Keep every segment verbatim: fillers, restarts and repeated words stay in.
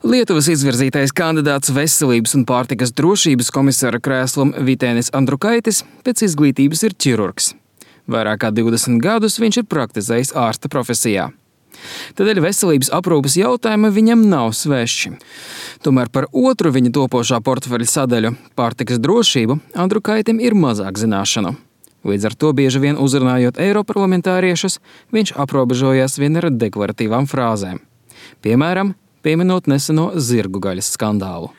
Lietuvas izvirzītais kandidāts veselības un pārtikas drošības komisāra krēslam Vytenis Andrukaitis pēc izglītības ir ķirurgs. Vairāk kā divdesmit gadus viņš ir praktizējis ārsta profesijā. Tādēļ veselības aprūpes jautājumi viņam nav svešķi. Tomēr par otru viņa topošā portfeļa sadaļu – pārtikas drošību – Andrukaitim ir mazāk zināšanu. Līdz ar to bieži vien uzrunājot eiroparlamentāriešus, viņš aprobežojās vien ar deklaratīvām frāzēm. Piemēram, pieminot neseno zirgu gaļas skandālu.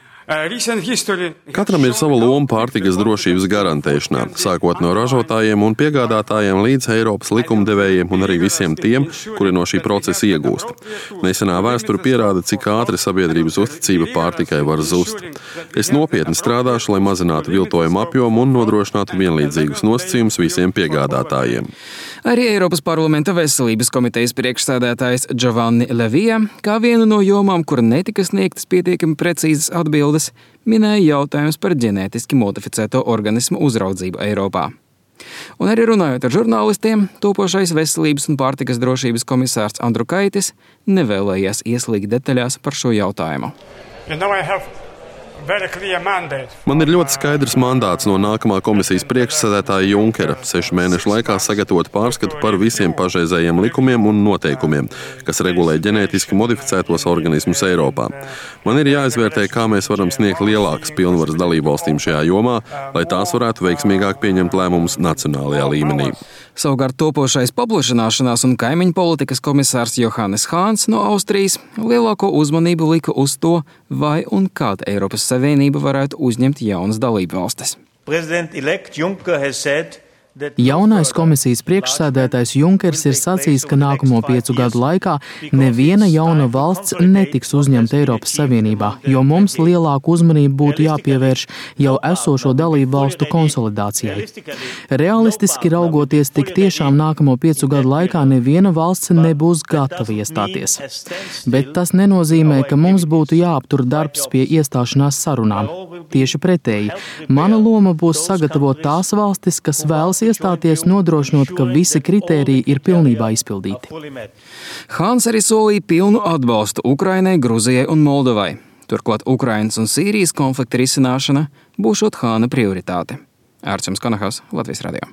Katram ir sava loma pārtikas drošības garantēšanā, sākot no ražotājiem un piegādātājiem līdz Eiropas likumdevējiem un arī visiem tiem, kuri no šī procesa iegūst. Nesenā vēsture pierāda, cik ātri sabiedrības uzticība pārtikai var zust. Es nopietni strādāšu, lai mazinātu viltojumu apjomu un nodrošinātu vienlīdzīgus nosacījumus visiem piegādātājiem. Arī Eiropas parlamenta veselības komitejas priekšsēdētājs Giovanni Lavija, kā vienu no jomām, kur netika sniegtas pietiekami precīzas atbildes, minēja jautājums par ģenētiski modificēto organismu uzraudzību Eiropā. Un arī runājot ar žurnālistiem, topošais veselības un pārtikas drošības komisārs Andrukaitis nevēlējās ieslīgt detaļās par šo jautājumu. Man ir ļoti skaidrs mandāts no nākamā komisijas priekšsēdētāja Junkera sešu mēnešu laikā sagatavot pārskatu par visiem pašreizējiem likumiem un noteikumiem, kas regulē ģenētiski modificētos organismus Eiropā. Man ir jāizvērtē, kā mēs varam sniegt lielākas pilnvaras dalībvalstīm šajā jomā, lai tās varētu veiksmīgāk pieņemt lēmumus nacionālajā līmenī. Savukārt topošais paplašināšanās un kaimiņu politikas komisārs Johannes Hāns no Austrijas lielāko uzmanību lika uz to, vai un kāda Eiropas Savienība varētu uzņemt jaunas dalību valstis. Jaunais komisijas priekšsēdētājs Junkers ir sacījis, ka nākamo piecu gadu laikā neviena jauna valsts netiks uzņemta Eiropas Savienībā, jo mums lielāku uzmanību būtu jāpievērš jau esošo dalību valstu konsolidācijai. Realistiski raugoties, tik tiešām nākamo piecu gadu laikā neviena valsts nebūs gatava iestāties. Bet tas nenozīmē, ka mums būtu jāaptur darbs pie iestāšanās sarunām. Tieši pretēji, mana loma būs sagatavot tās valstis, kas vēlas iestāties, nodrošinot, ka visi kritēriji ir pilnībā izpildīti. Hāns arī solīja pilnu atbalstu Ukrainai, Gruzijai un Moldovai. Turklāt Ukrainas un Sīrijas konflikta risināšana būšot Hāna prioritāte. Ārčuns Konahaus, Latvijas radio.